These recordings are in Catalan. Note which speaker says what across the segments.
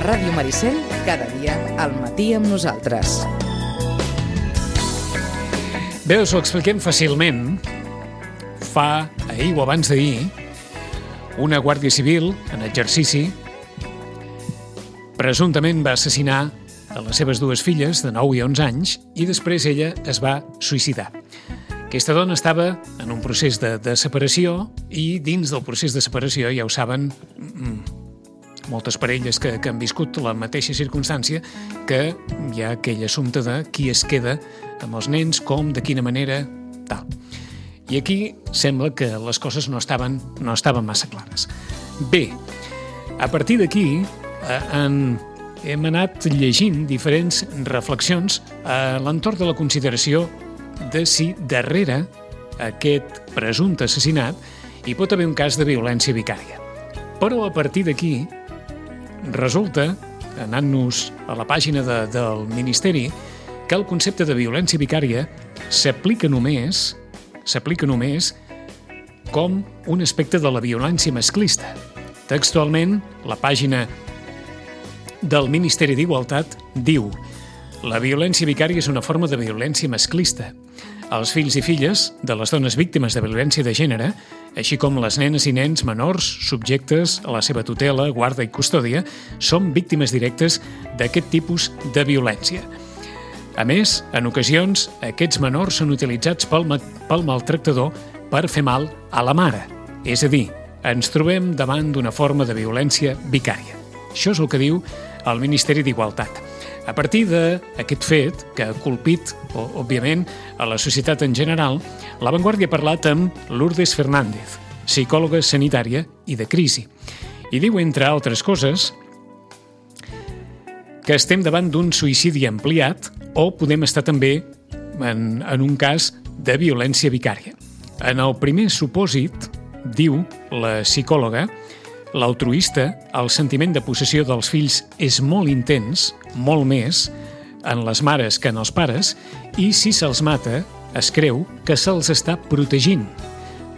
Speaker 1: Ràdio Maricel, cada dia al matí amb nosaltres.
Speaker 2: Bé, us ho expliquem fàcilment. Fa ahir o abans d'ahir, una guàrdia civil en exercici presumptament va assassinar a les seves dues filles de 9 i 11 anys i després ella es va suïcidar. Aquesta dona estava en un procés de separació i dins del procés de separació, ja ho saben, moltes parelles que han viscut la mateixa circumstància, que hi ha aquell assumpte de qui es queda amb els nens, com, de quina manera, tal. I aquí sembla que les coses no estaven massa clares. Bé, a partir d'aquí hem anat llegint diferents reflexions a l'entorn de la consideració de si darrere aquest presumpte assassinat hi pot haver un cas de violència vicària. Però a partir d'aquí resulta, anant-nos a la pàgina del Ministeri, que el concepte de violència vicària s'aplica només com un aspecte de la violència masclista. Textualment, la pàgina del Ministeri d'Igualtat diu: la violència vicària és una forma de violència masclista. Els fills i filles de les dones víctimes de violència de gènere, així com les nenes i nens menors subjectes a la seva tutela, guarda i custòdia, són víctimes directes d'aquest tipus de violència. A més, en ocasions, aquests menors són utilitzats pel maltractador per fer mal a la mare. És a dir, ens trobem davant d'una forma de violència vicària. Això és el que diu el Ministeri d'Igualtat. A partir d'aquest fet, que ha colpit, òbviament, a la societat en general, La Vanguardia ha parlat amb Lourdes Fernández, psicòloga sanitària i de crisi. I diu, entre altres coses, que estem davant d'un suïcidi ampliat o podem estar també en un cas de violència vicària. En el primer supòsit, diu la psicòloga, l'altruista, el sentiment de possessió dels fills és molt intens, molt més, en les mares que en els pares, i si se'ls mata, es creu que se'ls està protegint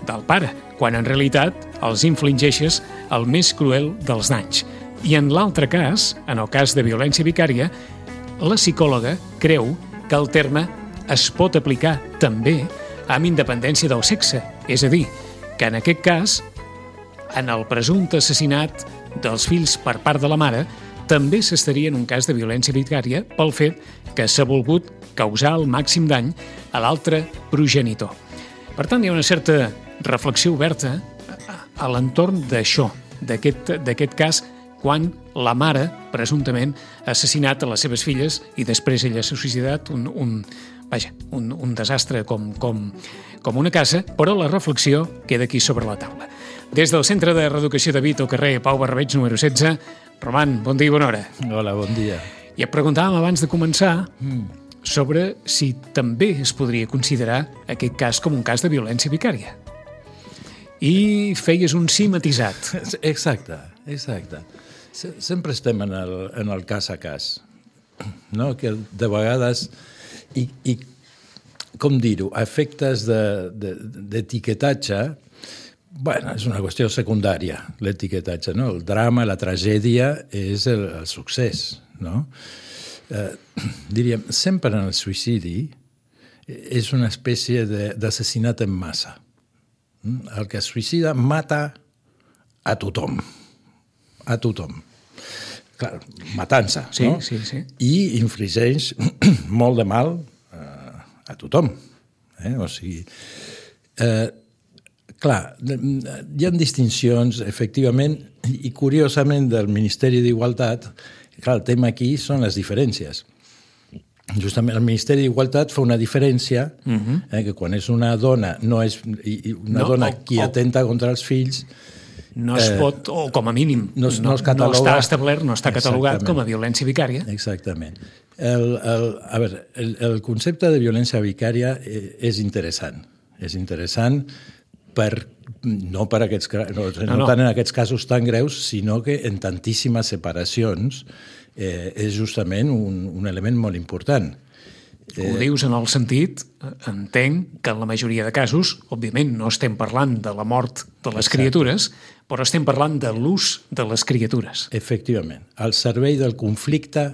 Speaker 2: del pare, quan en realitat els infligeixes el més cruel dels danys. I en l'altre cas, en el cas de violència vicària, la psicòloga creu que el terme es pot aplicar també amb independència del sexe, és a dir, que en aquest cas, en el presumpte assassinat dels fills per part de la mare, també s'estaria en un cas de violència vicària pel fet que s'ha volgut causar el màxim dany a l'altre progenitor. Per tant, hi ha una certa reflexió oberta a l'entorn d'això, d'aquest cas, quan la mare, presumptament, ha assassinat a les seves filles i després ella s'ha suïcidat, un desastre com una casa, però la reflexió queda aquí sobre la taula. Des del Centre de Reeducació de Vic, al carrer Pau Barberig, número 16, Roman, bon dia i bona hora.
Speaker 3: Hola, bon dia.
Speaker 2: I et preguntàvem abans de començar sobre si també es podria considerar aquest cas com un cas de violència vicària. I feies un sí matisat.
Speaker 3: Exacte. Sempre estem en el cas a cas, no? Que de vegades, i com dir-ho, a efectes d'etiquetatge, bueno, és una qüestió secundària, l'etiquetatge, no? El drama, la tragèdia és el succés, no? Diríem, sempre en el suïcidi és una espècie d'assassinat en massa. El que es suïcida mata a tothom. Clar, matança, no?
Speaker 2: Sí.
Speaker 3: I infligeix molt de mal a tothom. O sigui, clar, hi ha distincions, efectivament, i curiosament del Ministeri d'Igualtat, clar, el tema aquí són les diferències. Justament el Ministeri d'Igualtat fa una diferència, que quan és una dona, no és dona qui atenta contra els fills,
Speaker 2: no es pot, o com a mínim, no està establert, no està catalogat com a violència vicària.
Speaker 3: Exactament. A veure, el concepte de violència vicària és interessant. És interessant no tant en aquests casos tan greus, sinó que en tantíssimes separacions és justament un element molt important.
Speaker 2: Ho dius en el sentit, entenc que en la majoria de casos, òbviament no estem parlant de la mort de les criatures, però estem parlant de l'ús de les criatures.
Speaker 3: Efectivament, al servei del conflicte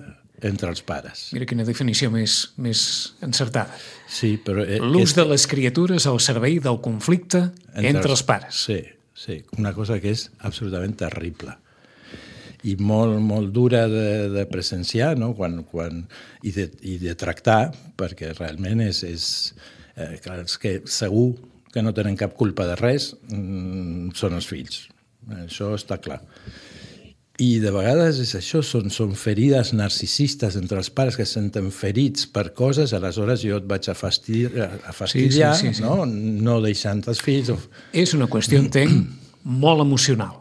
Speaker 3: entre els pares.
Speaker 2: Mira quina definició més encertada.
Speaker 3: Sí, però...
Speaker 2: L'ús de les criatures al servei del conflicte entre els pares.
Speaker 3: Sí, una cosa que és absolutament terrible i molt dura de presenciar, no? I de tractar, perquè realment és els que segur que no tenen cap culpa de res són els fills. Això està clar. I de vegades és això, són ferides narcisistes entre els pares que es senten ferits per coses, aleshores jo et vaig a fastidiar, sí. No deixant els fills...
Speaker 2: És una qüestió, entenc, molt emocional.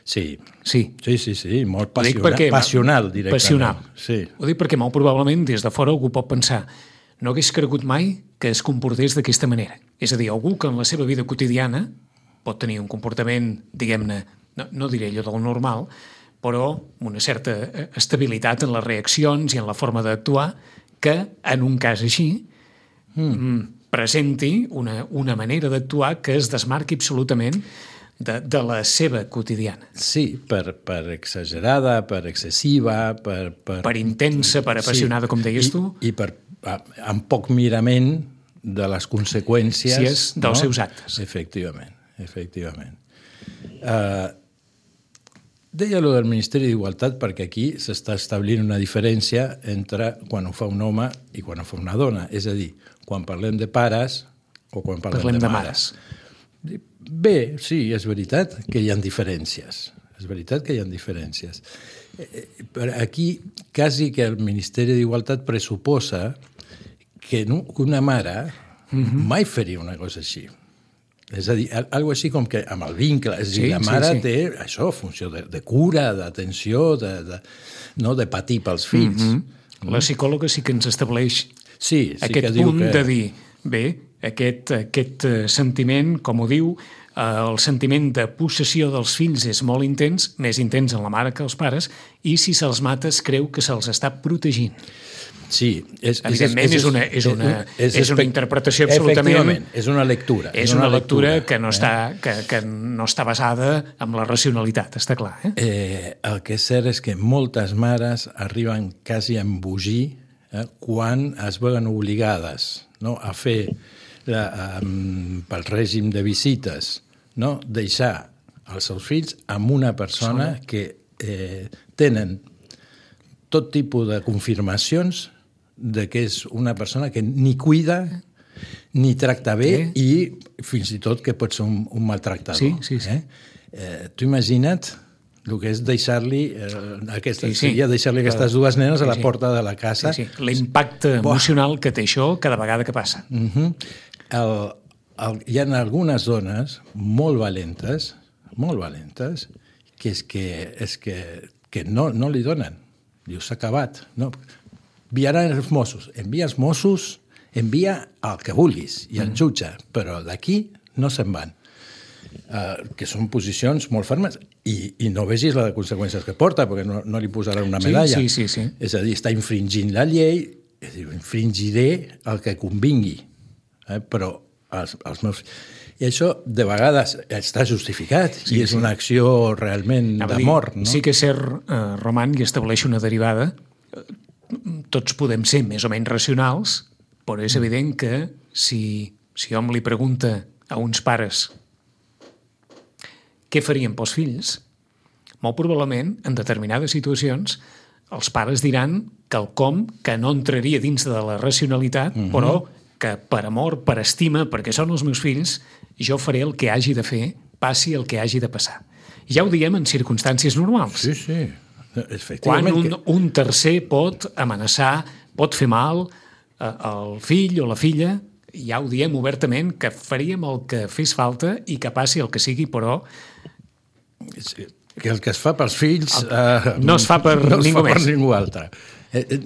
Speaker 3: Sí, molt passional directament.
Speaker 2: Passional.
Speaker 3: Sí.
Speaker 2: Ho dic perquè molt probablement des de fora algú pot pensar no hagués cregut mai que es comportés d'aquesta manera. És a dir, algú que en la seva vida quotidiana pot tenir un comportament, diguem-ne, no diré allò del normal, però una certa estabilitat en les reaccions i en la forma d'actuar, que en un cas així presenti una manera d'actuar que es desmarqui absolutament de la seva quotidiana.
Speaker 3: Sí, per exagerada, per excessiva, per
Speaker 2: intensa, per apassionada, com deies tu.
Speaker 3: I amb poc mirament de les conseqüències
Speaker 2: dels seus actes.
Speaker 3: Efectivament. Deia allò del Ministeri d'Igualtat perquè aquí s'està establint una diferència entre quan ho fa un home i quan ho fa una dona. És a dir, quan parlem de pares o quan parlem de mares. Bé, sí, és veritat que hi ha diferències. Però aquí quasi que el Ministeri d'Igualtat pressuposa que una mare mai faria una cosa així. És a dir, alguna així com que amb el vincle, és a dir, la mare té això, funció de cura, d'atenció, de patir pels fills.
Speaker 2: La psicòloga sí que ens estableix aquest punt de dir, bé, aquest sentiment, com ho diu, el sentiment de possessió dels fills és molt intens, més intens en la mare que els pares, i si se'ls mata es creu que se'ls està protegint.
Speaker 3: Sí.
Speaker 2: Evidentment és una interpretació absolutament...
Speaker 3: Efectivament, és una lectura.
Speaker 2: És una lectura que no està basada en la racionalitat, està clar.
Speaker 3: El que és cert és que moltes mares arriben quasi a embogir quan es veuen obligades a fer pel règim de visites, deixar els seus fills amb una persona que tenen tot tipus de confirmacions de que és una persona que ni cuida ni tracta bé i fins i tot que pot ser un maltractador.
Speaker 2: Sí.
Speaker 3: Tu imagina't el que és deixar-li aquestes dues nenes a la porta de la casa.
Speaker 2: L'impacte emocional que té això cada vegada que passa.
Speaker 3: Hi ha algunes dones molt valentes, que no li donen. Diu, s'ha acabat. Enviaran els Mossos. Envia els Mossos, envia el que vulguis i el jutge, però d'aquí no se'n van. Que són posicions molt fermes i no vegis les conseqüències que porta, perquè no li posaran una medalla.
Speaker 2: Sí.
Speaker 3: És a dir, està infringint la llei, infringiré el que convingui. Però els meus... I això, de vegades, està justificat i és una acció realment d'amor.
Speaker 2: Sí que és cert, Roman, i estableix una derivada. Tots podem ser més o menys racionals, però és evident que si hom li pregunta a uns pares què farien pels fills, molt probablement, en determinades situacions, els pares diran quelcom que no entraria dins de la racionalitat, però que per amor, per estima, perquè són els meus fills, jo faré el que hagi de fer, passi el que hagi de passar. Ja ho diem en circumstàncies normals.
Speaker 3: Sí.
Speaker 2: Quan un tercer pot amenaçar, pot fer mal al fill o la filla, ja ho diem obertament, que faríem el que fes falta i que passi el que sigui, però...
Speaker 3: Que el que es fa pels fills...
Speaker 2: no es fa per ningú més.
Speaker 3: No es fa per ningú altre.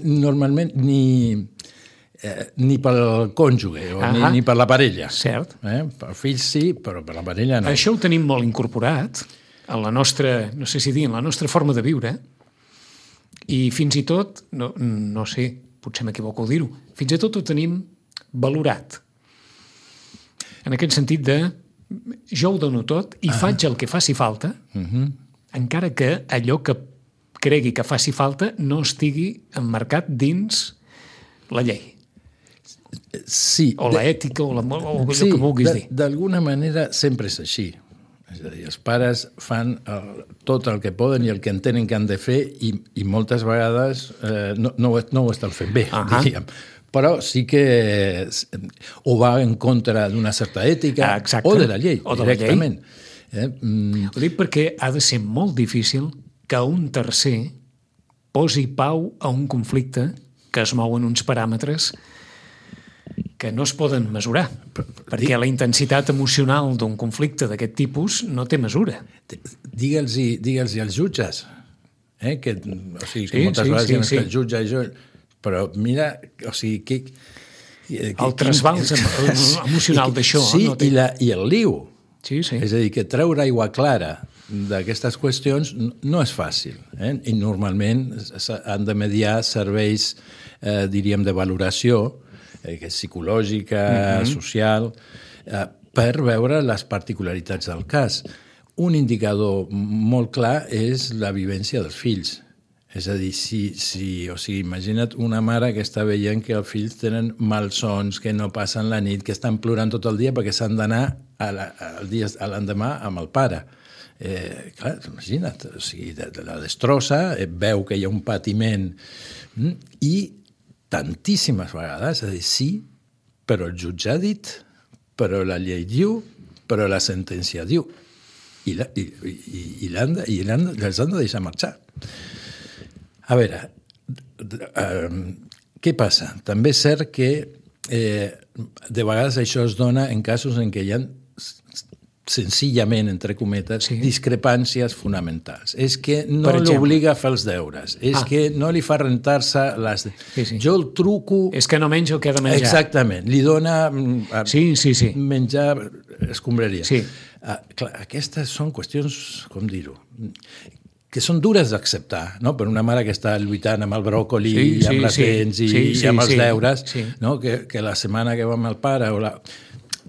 Speaker 3: Normalment ni pel cònjuge ni per la parella.
Speaker 2: Cert.
Speaker 3: Per fills sí, però per la parella no.
Speaker 2: Això ho tenim molt incorporat en la nostra, no sé si dir, en la nostra forma de viure, i fins i tot, no sé, potser m'equivoco al dir-ho, fins i tot ho tenim valorat. En aquest sentit de jo ho dono tot i faig el que faci falta, encara que allò que cregui que faci falta no estigui emmarcat dins la llei.
Speaker 3: Sí.
Speaker 2: O l'ètica, o allò que vulguis dir.
Speaker 3: D'alguna manera sempre és així. És a dir, els pares fan tot el que poden i el que entenen que han de fer i moltes vegades no ho estan fent bé, diríem. Però sí que o va en contra d'una certa ètica o de la llei, directament.
Speaker 2: Ho dic perquè ha de ser molt difícil que un tercer posi pau a un conflicte que es mou en uns paràmetres que no es poden mesurar, perquè la intensitat emocional d'un conflicte d'aquest tipus no té mesura.
Speaker 3: Digue'ls-hi als jutges, que moltes vegades el jutge i jo... Però mira, o sigui...
Speaker 2: El trasbals emocional d'això...
Speaker 3: Sí, i el liu.
Speaker 2: Sí.
Speaker 3: És a dir, que treure aigua clara d'aquestes qüestions no és fàcil. I normalment han de mediar serveis, diríem, de valoració, psicològica, social, per veure les particularitats del cas. Un indicador molt clar és la vivència dels fills. És a dir, imagina't una mare que està veient que els fills tenen malsons, que no passen la nit, que estan plorant tot el dia perquè s'han d'anar l'endemà amb el pare. Clar, imagina't, la destrossa, veu que hi ha un patiment i tantíssimes vegades, és a dir, sí, però el jutge ha dit, però la llei diu, però la sentència diu. I els han de deixar marxar. A veure, què passa? També és cert que de vegades això es dona en casos en què hi ha senzillament, entre cometes, discrepàncies fonamentals. És que no l'obliga a fer els deures. És que no li fa rentar-se les... Jo el truco...
Speaker 2: És que no menja el que ha de menjar.
Speaker 3: Exactament. Li dona menjar escombraria.
Speaker 2: Sí.
Speaker 3: Clar, aquestes són qüestions, com dir-ho, que són dures d'acceptar, no? Per una mare que està lluitant amb el bròcoli, amb les dents i amb els deures, no? Que la setmana que va amb el pare...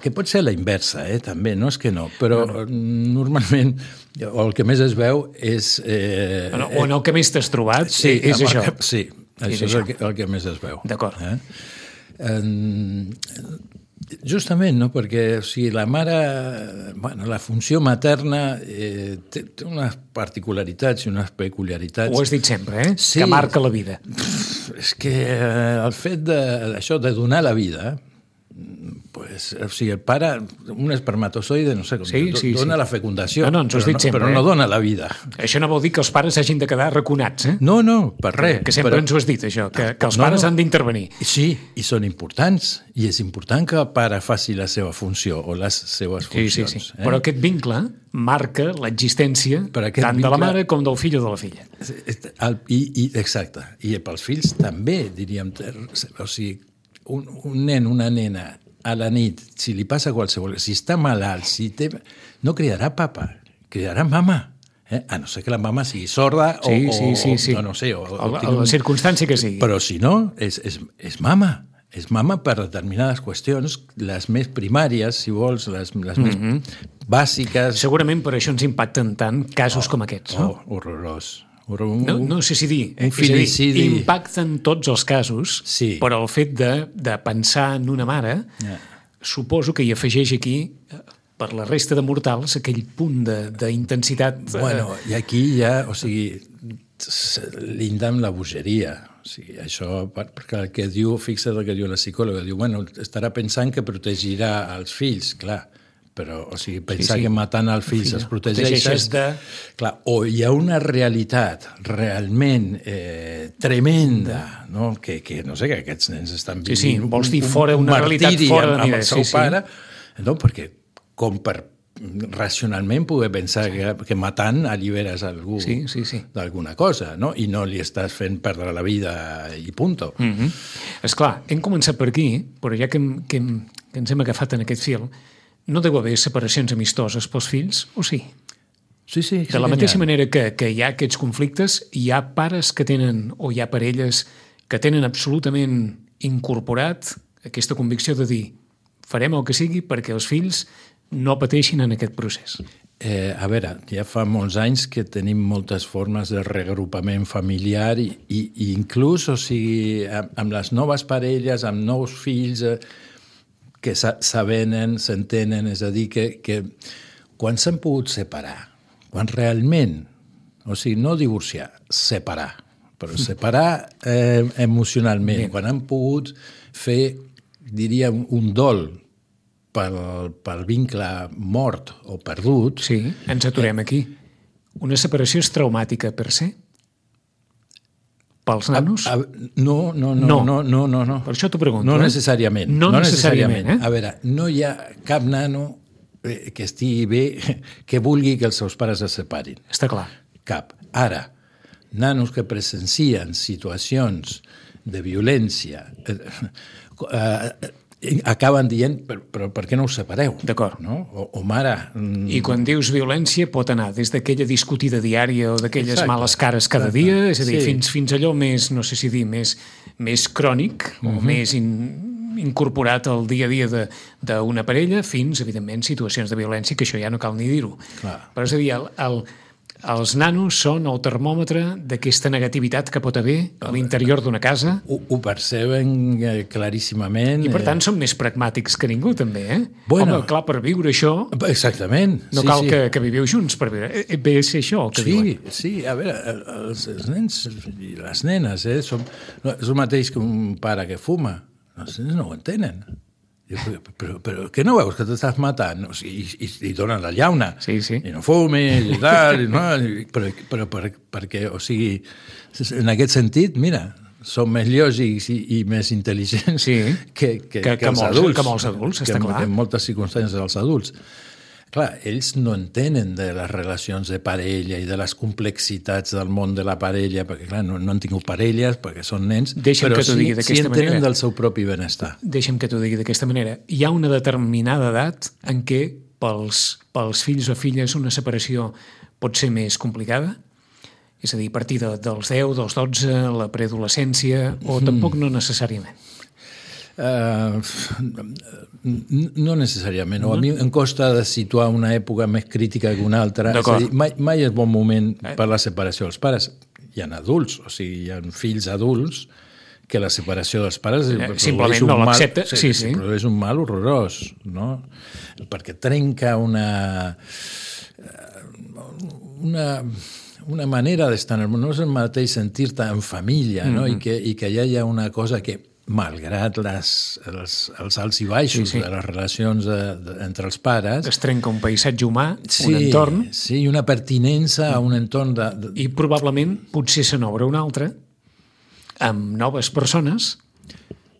Speaker 3: Que pot ser la inversa, també, no és que no, però normalment el que més es veu és...
Speaker 2: O en el que més t'has trobat, és això.
Speaker 3: Sí, això és el que més es veu.
Speaker 2: D'acord.
Speaker 3: Justament, no? Perquè la mare, la funció materna té unes particularitats i unes peculiaritats.
Speaker 2: Ho has dit sempre, que marca la vida.
Speaker 3: És que el fet de donar la vida... el pare, un espermatozoide, no sé com, dona la fecundació, però no dona la vida.
Speaker 2: Això no vol dir que els pares s'hagin de quedar raconats,
Speaker 3: No, per res.
Speaker 2: Que sempre ens ho has dit, això, que els pares han d'intervenir.
Speaker 3: Sí, i són importants, i és important que el pare faci la seva funció, o les seves funcions.
Speaker 2: Sí. Però aquest vincle marca l'existència tant de la mare com del fill o de la filla.
Speaker 3: Exacte. I pels fills també, diríem, o sigui, un nen, una nena, a la nit, si li passa qualsevol... Si està malalt, no cridarà papa, cridarà mama. A no ser que la mama sigui sorda o no sé...
Speaker 2: La circumstància que sigui.
Speaker 3: Però si no, és mama. És mama per determinades qüestions, les més primàries, si vols, les més bàsiques...
Speaker 2: Segurament per això ens impacten tant casos com aquests, no?
Speaker 3: Horrorós.
Speaker 2: No sé si dir,
Speaker 3: un filicidi.
Speaker 2: Impacten tots els casos, però el fet de pensar en una mare, suposo que hi afegeix aquí, per la resta de mortals, aquell punt d'intensitat...
Speaker 3: I aquí ja, linda amb la bogeria. Això, perquè el que diu, fixa't el que diu la psicòloga, diu, estarà pensant que protegirà els fills, clar, però, pensar que matant els fills es protegeixes... Clar, o hi ha una realitat realment tremenda, no? Que no sé, que aquests nens estan vivint
Speaker 2: vols dir fora una realitat fora de
Speaker 3: amb el seu pare, no? Perquè com per racionalment poder pensar que matant alliberes algú d'alguna cosa, no? I no li estàs fent perdre la vida i punto.
Speaker 2: Esclar, hem començat per aquí, però ja que ens hem agafat en aquest fil, no deu haver separacions amistoses pels fills, o sí?
Speaker 3: Sí.
Speaker 2: De la mateixa manera que hi ha aquests conflictes, hi ha pares que tenen, o hi ha parelles que tenen absolutament incorporat aquesta convicció de dir farem el que sigui perquè els fills no pateixin en aquest procés?
Speaker 3: A veure, ja fa molts anys que tenim moltes formes de reagrupament familiar i inclús, o sigui, amb les noves parelles, amb nous fills que s'avenen, s'entenen, és a dir, que quan s'han pogut separar, quan realment, o sigui, no divorciar, separar, però separar emocionalment, quan han pogut fer, diria, un dol pel vincle mort o perdut...
Speaker 2: Sí, ens aturem aquí. Una separació és traumàtica per se? Pels nanos?
Speaker 3: No.
Speaker 2: Per això t'ho pregunto.
Speaker 3: No necessàriament.
Speaker 2: No necessàriament.
Speaker 3: A veure, no hi ha cap nano que estigui bé, que vulgui que els seus pares es separin.
Speaker 2: Està clar.
Speaker 3: Cap. Ara, nanos que presencien situacions de violència... acaben dient, però per què no us separeu?
Speaker 2: D'acord.
Speaker 3: No? O mare...
Speaker 2: I quan dius violència pot anar des d'aquella discutida diària o d'aquelles males cares cada dia, és a dir, fins allò més, no sé si dir, més crònic o més incorporat al dia a dia d'una parella, fins, evidentment, situacions de violència, que això ja no cal ni dir-ho. Però és a dir, els nanos són el termòmetre d'aquesta negativitat que pot haver a l'interior d'una casa.
Speaker 3: Ho perceben claríssimament.
Speaker 2: I per tant són més pragmàtics que ningú, també, eh?
Speaker 3: Bueno,
Speaker 2: home, clar, per viure això...
Speaker 3: Exactament.
Speaker 2: No cal que viviu junts per viure. Ve a ser això el que diuen.
Speaker 3: Sí, a veure, els nens i les nenes, és el mateix que un pare que fuma. Els nens no ho entenen. Però què no veus que t'estàs matant? O sigui, i donen la llauna.
Speaker 2: Sí.
Speaker 3: I no fumis i tal. Però perquè, o sigui, en aquest sentit, mira, són més lògics i més intel·ligents que els adults.
Speaker 2: Que molts adults, està clar.
Speaker 3: Que en moltes circumstàncies els adults. Clar, ells no entenen de les relacions de parella i de les complexitats del món de la parella, perquè, clar, no han tingut parelles, perquè són nens, però sí entenen del seu propi benestar.
Speaker 2: Deixa'm que t'ho digui d'aquesta manera. Hi ha una determinada edat en què pels fills o filles una separació pot ser més complicada? És a dir, a partir dels 10, dels 12, la preadolescència, o tampoc no necessàriament?
Speaker 3: No necessàriament. A mi em costa de situar una època més crítica que una altra. És a dir, mai és bon moment per la separació dels pares. Hi ha adults, o sigui, hi ha fills adults que la separació dels pares
Speaker 2: simplement no l'accepta.
Speaker 3: Produeix un mal horrorós, no? Perquè trenca una manera d'estar en el món. No és el mateix sentir-te en família, no? I que ja hi ha una cosa que, malgrat els alts i baixos de les relacions entre els pares...
Speaker 2: Es trenca un paisatge humà, un entorn...
Speaker 3: Sí, una pertinença a un entorn
Speaker 2: I probablement potser se n'obre un altre amb noves persones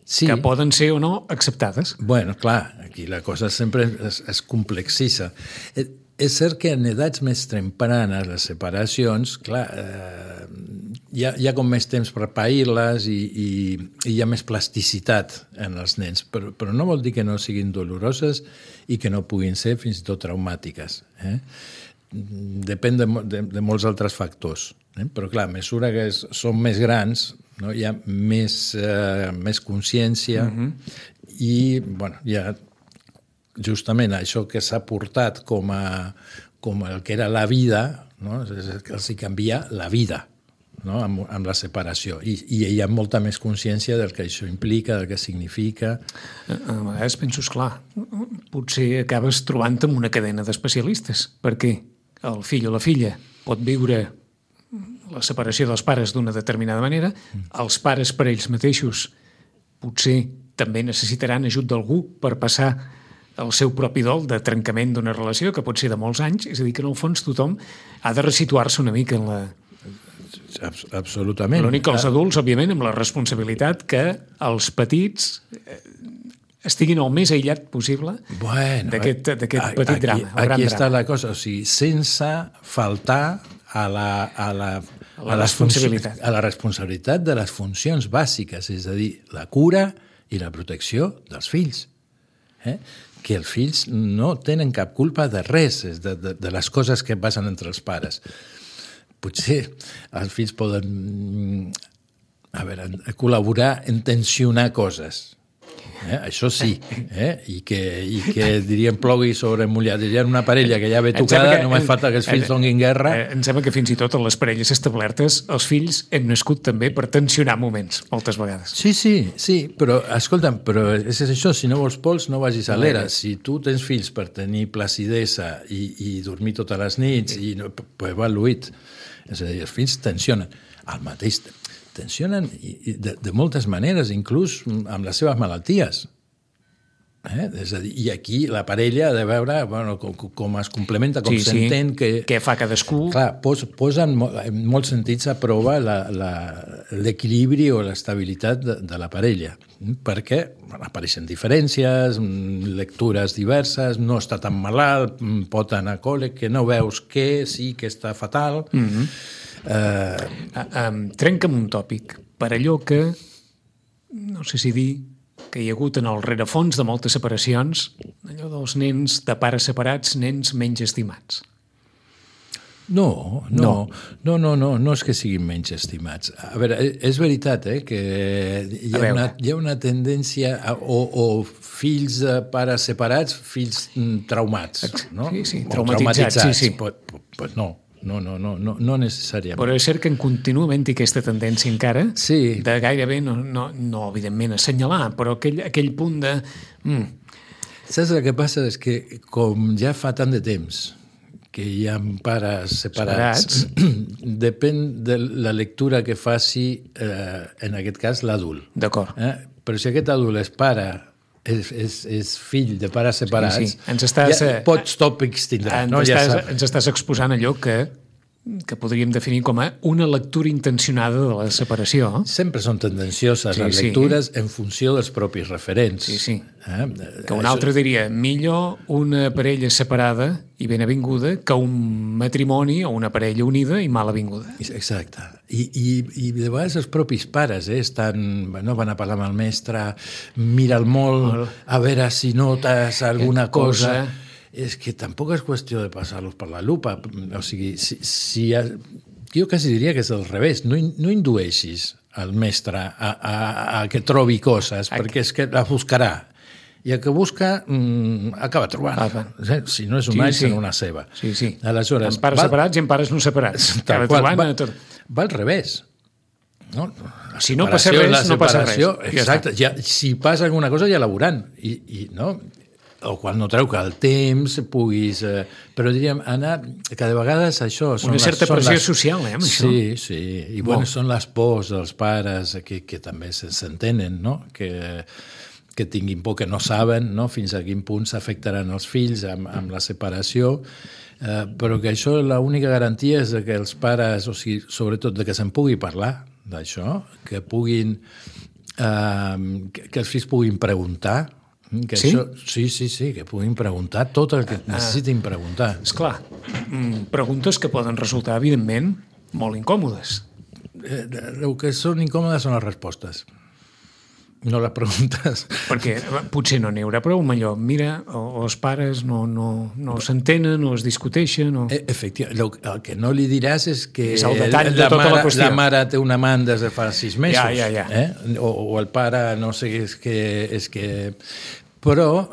Speaker 2: que poden ser o no acceptades.
Speaker 3: Bueno, clar, aquí la cosa sempre es complexissa. És cert que en edats més tempranes, les separacions, clar, hi ha com més temps per pair-les i hi ha més plasticitat en els nens, però no vol dir que no siguin doloroses i que no puguin ser fins i tot traumàtiques. Depèn de molts altres factors. Però clar, a mesura que són més grans, no, hi ha més consciència i bueno, hi ha justament això que s'ha portat com el que era la vida, no? Que els canvia la vida, no? amb la separació. I hi ha molta més consciència del que això implica, del que significa.
Speaker 2: A vegades penso, esclar, potser acabes trobant-te amb una cadena d'especialistes, perquè el fill o la filla pot viure la separació dels pares d'una determinada manera, els pares per ells mateixos potser també necessitaran ajut d'algú per passar el seu propi dol de trencament d'una relació que pot ser de molts anys, és a dir, que en el fons tothom ha de resituar-se una mica en la...
Speaker 3: Absolutament.
Speaker 2: L'únic que els adults, òbviament, amb la responsabilitat que els petits estiguin el més aïllat possible d'aquest petit drama.
Speaker 3: Aquí està la cosa, o sigui, sense faltar a la responsabilitat de les funcions bàsiques, és a dir, la cura i la protecció dels fills. Que els fills no tenen cap culpa de res, de les coses que passen entre els pares. Potser els fills poden a veure, col·laborar en tensionar coses. Això sí, i que diríem plogui sobre mullat. Diríem una parella que ja ve tocada, només falta que els fills donguin guerra.
Speaker 2: Em sembla que fins i tot en les parelles establertes els fills hem nascut també per tensionar moments, moltes vegades.
Speaker 3: Sí, però escolta'm, però és això, si no vols pols no vagis a l'era. Si tu tens fills per tenir placidesa i dormir totes les nits, pues va luit. És a dir, els fills tensionen. El mateix tensionen de moltes maneres, inclús amb les seves malalties. És a dir, i aquí la parella ha de veure com es complementa, com s'entén.
Speaker 2: Què fa cadascú.
Speaker 3: Clar, posa en molts sentits a prova l'equilibri o l'estabilitat de la parella, perquè apareixen diferències, lectures diverses, no està tan malalt, pot anar a col·le, que no veus que sí que està fatal.
Speaker 2: Trenca'm un tòpic per allò que, no sé si dir, que hi ha hagut en el rerefons de moltes separacions, allò dels nens de pares separats, nens menys estimats.
Speaker 3: No és que siguin menys estimats. A veure, és veritat que hi ha una tendència o fills de pares separats, fills traumats, no?
Speaker 2: Sí, traumatitzats. Sí.
Speaker 3: Pues no necessàriament.
Speaker 2: Però és cert que en continua havent-hi aquesta tendència encara de gairebé, no evidentment assenyalar, però aquell punt de...
Speaker 3: Saps el que passa? És que com ja fa tant de temps que hi ha pares separats. Depèn de la lectura que faci, en aquest cas, l'adult.
Speaker 2: D'acord.
Speaker 3: Però si aquest adult és pare, és fill de pares separats, pots tòpics tindrà.
Speaker 2: Ens estàs exposant allò que podríem definir com una lectura intencionada de la separació.
Speaker 3: Sempre són tendencioses les lectures en funció dels propis referents.
Speaker 2: Que un altre diria, millor una parella separada i ben avinguda que un matrimoni o una parella unida i mal avinguda.
Speaker 3: Exacte. I de vegades els propis pares van a parlar amb el mestre, mira'l molt, a veure si notes alguna cosa. És que tampoc és qüestió de passar-los per la lupa. O sigui, jo quasi diria que és al revés. No indueixis al mestre a que trobi coses, perquè és que la buscarà. I el que busca acaba trobant. Si no és una serà una seva.
Speaker 2: Sí.
Speaker 3: Aleshores,
Speaker 2: en pares separats i en pares no separats.
Speaker 3: Va al revés.
Speaker 2: Si no passa res, no passa res.
Speaker 3: Exacte. Si passa alguna cosa ja la veuran. O quan no treu que el temps puguis... Però diríem, que de vegades això...
Speaker 2: Una certa pressió social, amb això.
Speaker 3: Sí. I són les pors dels pares que també s'entenen, no? Que tinguin por, que no saben fins a quin punt s'afectaran els fills amb la separació, però que això l'única garantia és que els pares, o sigui, sobretot de que se'n pugui parlar d'això, que puguin... que els fills puguin preguntar. Sí, que puguin preguntar tot el que necessitin preguntar.
Speaker 2: Esclar, preguntes que poden resultar, evidentment, molt incòmodes.
Speaker 3: El que són incòmodes són les respostes, no les preguntes.
Speaker 2: Perquè potser no n'hi haurà prou amb allò. Mira, els pares no s'entenen, no es discuteixen...
Speaker 3: Efectivament, el que no li diràs és que
Speaker 2: és el detall de tota la qüestió.
Speaker 3: La mare té un amant des de fa 6 mesos.
Speaker 2: Ja.
Speaker 3: O el pare, no sé, és que... Però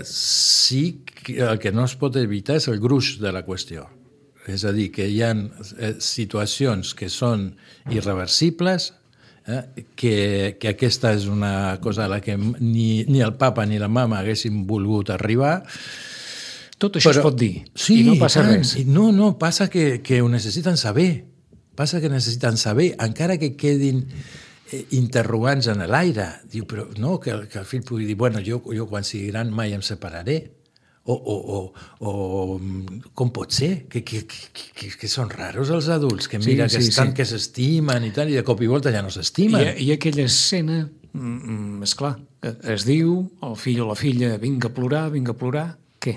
Speaker 3: sí que el que no es pot evitar és el gruix de la qüestió. És a dir, que hi ha situacions que són irreversibles, que aquesta és una cosa a la que ni el papa ni la mama haguessin volgut arribar.
Speaker 2: Tot això es pot dir, i no passa res.
Speaker 3: No, passa que ho necessiten saber. Passa que necessiten saber, encara que quedin interrogants en l'aire. Diu, però no, que el fill pugui dir, bueno, jo quan sigui gran mai em separaré. O com pot ser? Que són raros els adults, que mira que estan que s'estimen i tal, i de cop i volta ja no s'estimen.
Speaker 2: I aquella escena, esclar, es diu, el fill o la filla, vinga a plorar, què?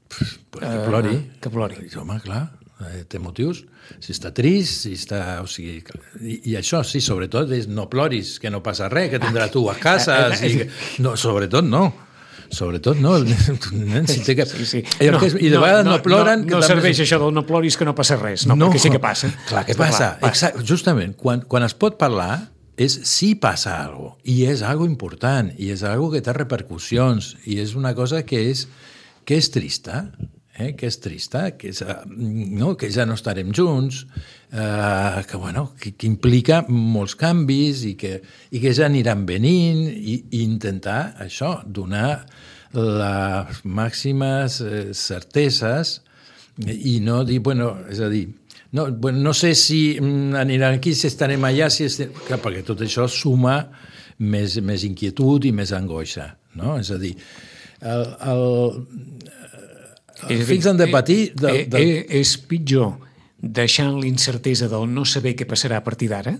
Speaker 3: Que plori.
Speaker 2: Que plori.
Speaker 3: Home, clar, té motius. Si està trist, si està... O sigui, i això, sí, sobretot, és no ploris, que no passa res, que tindrà tu a casa. No, sobretot no. sobretot, no? El nen si té que...
Speaker 2: Sí.
Speaker 3: I de vegades no ploren...
Speaker 2: No serveix això del no ploris que no passa res, no, perquè sí que passa.
Speaker 3: Clar que passa. Exacte. Justament, quan es pot parlar és si passa alguna cosa, i és alguna important, i és alguna que té repercussions, i és una cosa que és trista, que és trista, que ja no estarem junts, que implica molts canvis i que ja aniran venint i intentar això, donar les màximes certeses i no dir, és a dir, no sé si aniran aquí, si estarem allà, perquè tot això suma més inquietud i més angoixa, no? És a dir, els fills han de patir...
Speaker 2: És pitjor deixant l'incertesa del no saber què passarà a partir d'ara?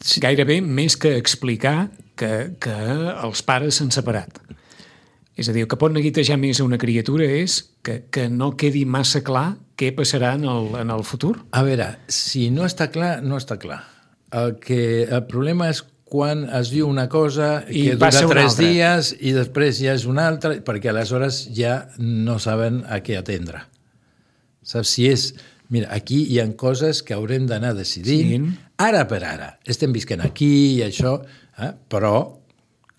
Speaker 2: Sí. Gairebé més que explicar que els pares s'han separat. És a dir, el que pot neguitejar més a una criatura és que no quedi massa clar què passarà en el futur.
Speaker 3: A veure, si no està clar, no està clar. El problema és quan es diu una cosa que dura 3 dies i després ja és una altra, perquè aleshores ja no saben a què atendre. Saps? Si és... Mira, aquí hi ha coses que haurem d'anar decidint ara per ara. Estem visquent aquí i això, però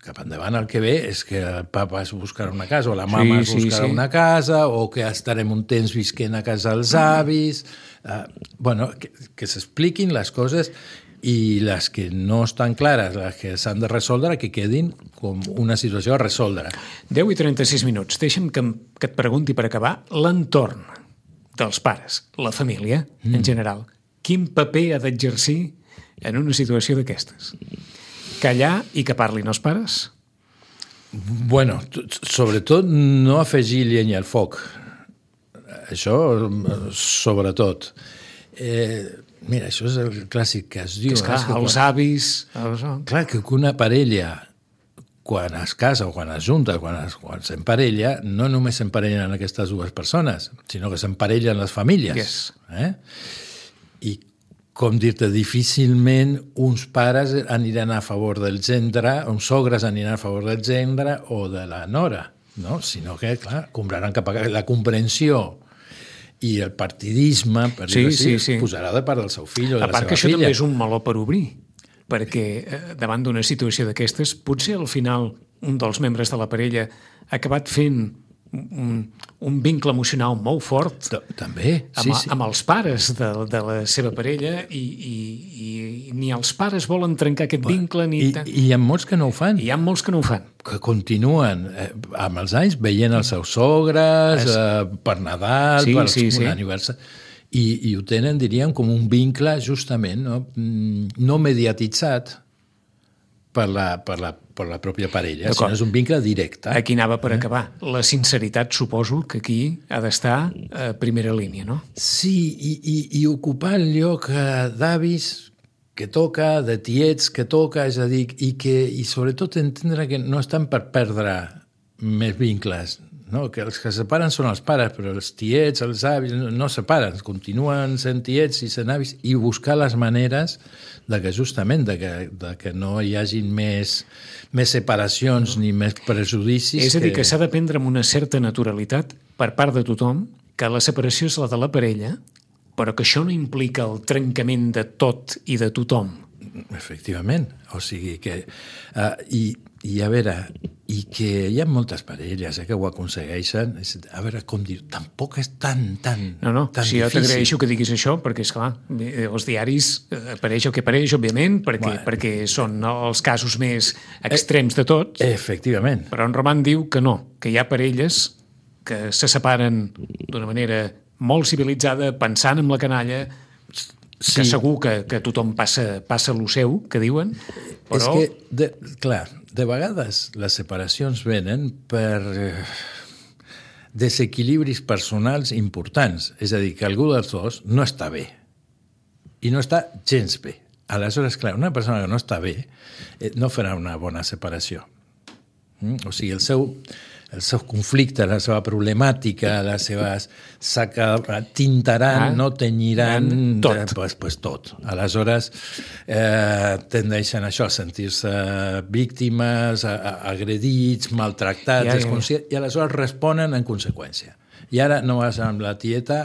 Speaker 3: cap endavant el que ve és que el papa es buscarà una casa o la mama es buscarà una casa o que estarem un temps visquent a casa dels avis. Que s'expliquin les coses i les que no estan clares, les que s'han de resoldre, que quedin com una situació a resoldre.
Speaker 2: 10 i 36 minuts. Deixa'm que et pregunti per acabar l'entorn dels pares, la família, en general. Quin paper ha d'exercir en una situació d'aquestes? Callar i que parlin els pares?
Speaker 3: Bueno, sobretot no afegir llenya al foc. Això, sobretot. Mira, això és el clàssic que es diu.
Speaker 2: És clar, els avis...
Speaker 3: Clar, que una parella, quan es casa o quan es junta, quan s'emparella, no només s'emparellen aquestes dues persones, sinó que s'emparellen les famílies. I, com dir-te, difícilment uns pares aniran a favor del gendre, uns sogres aniran a favor del gendre o de la nora, no? Sinó que, clar, compraran cap a la comprensió i el partidisme, per dir-ho així, es posarà de part del seu fill o de la seva filla.
Speaker 2: A part que això també és un meló per obrir, perquè davant d'una situació d'aquestes, potser al final un dels membres de la parella ha acabat fent un vincle emocional molt fort
Speaker 3: també,
Speaker 2: amb els pares de la seva parella i ni els pares volen trencar aquest vincle ni...
Speaker 3: I hi ha molts que no ho fan.
Speaker 2: Hi ha molts que no ho fan.
Speaker 3: Que continuen amb els anys veient els seus sogres per Nadal, per un aniversari... I ho tenen, diríem, com un vincle justament no mediatitzat per la pròpia parella, sinó és un vincle directe.
Speaker 2: Aquí anava per acabar. La sinceritat, suposo, que aquí ha d'estar a primera línia, no?
Speaker 3: Sí, i ocupar el lloc d'avis que toca, de tiets que toca, és a dir, i sobretot entendre que no estan per perdre més vincles, no? Que els que separen són els pares, però els tiets, els avis, no separen, continuen sent tiets i sent avis, i buscar les maneres de que justament de que no hi hagin més separacions ni més prejudicis.
Speaker 2: És a dir, que s'ha de prendre amb una certa naturalitat per part de tothom que la separació és la de la parella, però que això no implica el trencament de tot i de tothom.
Speaker 3: Efectivament. O sigui que... I a veure, i que hi ha moltes parelles que ho aconsegueixen, a veure, com dir, tampoc és tan
Speaker 2: No,
Speaker 3: tan
Speaker 2: si jo
Speaker 3: difícil.
Speaker 2: t'agraeixo que diguis això, perquè, esclar, els diaris apareix el que apareix, òbviament, perquè són els casos més extrems de tots.
Speaker 3: Efectivament.
Speaker 2: Però en Roman diu que no, que hi ha parelles que se separen d'una manera molt civilitzada, pensant en la canalla, que segur que tothom passa lo seu, que diuen, però...
Speaker 3: És que, clar, de vegades les separacions venen per desequilibris personals importants, és a dir, que algú dels dos no està bé, i no està gens bé. Aleshores, clar, una persona que no està bé no farà una bona separació. O sigui, el seu conflicte, la seva problemàtica, les seves... tintaran, no tenyiran...
Speaker 2: Tot.
Speaker 3: Pues tot. Aleshores, tendeixen això, a sentir-se víctimes, agredits, maltractats, i aleshores responen en conseqüència. I ara no vas amb la tieta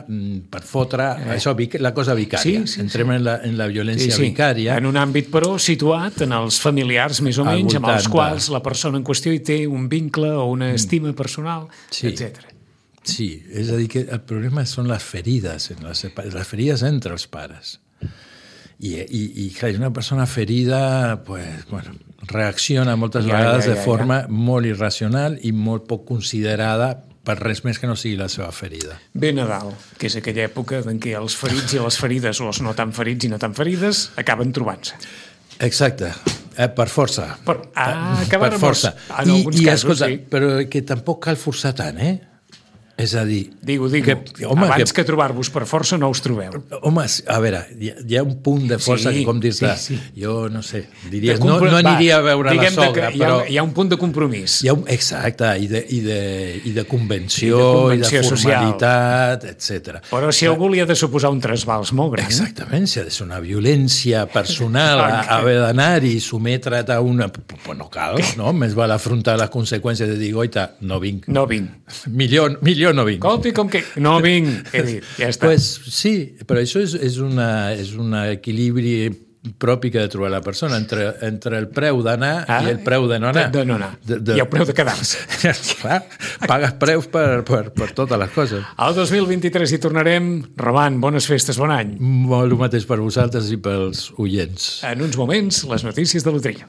Speaker 3: per fotre això, la cosa vicària. Entrem en la violència vicària.
Speaker 2: En un àmbit, però, situat en els familiars, més o menys, amb els quals la persona en qüestió hi té un vincle o una estima personal, etc.
Speaker 3: Sí, és a dir, que el problema són les ferides, les ferides entre els pares. I clar, una persona ferida pues, bueno, reacciona moltes vegades de forma molt irracional i molt poc considerada per res més que no sigui la seva ferida.
Speaker 2: Ve Nadal, que és aquella època en què els ferits i les ferides, o els no tan ferits i no tan ferides, acaben trobant-se.
Speaker 3: Exacte, per força.
Speaker 2: Per
Speaker 3: força.
Speaker 2: En alguns casos,
Speaker 3: escolta, però que tampoc cal forçar tant, És a dir...
Speaker 2: Digo, abans que trobar-vos per força no us trobeu.
Speaker 3: Home, a veure, hi ha un punt de força que, com dir-te, jo no sé, diries, no aniria a veure la sogra, però...
Speaker 2: Hi ha un punt de compromís.
Speaker 3: Exacte, i de convenció, i de formalitat, etc.
Speaker 2: Però si algú li ha de suposar un trasbals molt gran...
Speaker 3: Exactament, si ha de ser una violència personal, haver d'anar-hi, sometre't a una... Pues no cal, no? Més val afrontar les conseqüències de dir, oita, no vinc.
Speaker 2: No vinc.
Speaker 3: Millor no vinc.
Speaker 2: Colpi, com que no vinc, he dit, ja està.
Speaker 3: Pues sí, però això és un equilibri propi que ha de trobar la persona entre el preu d'anar i el preu de no anar.
Speaker 2: De no anar. I el preu de quedar-se.
Speaker 3: Clar, pagues preus per totes les coses.
Speaker 2: Al 2023 hi tornarem. Roman, bones festes, bon any.
Speaker 3: Molt el mateix per vosaltres i pels oients.
Speaker 2: En uns moments, les notícies de Loteria.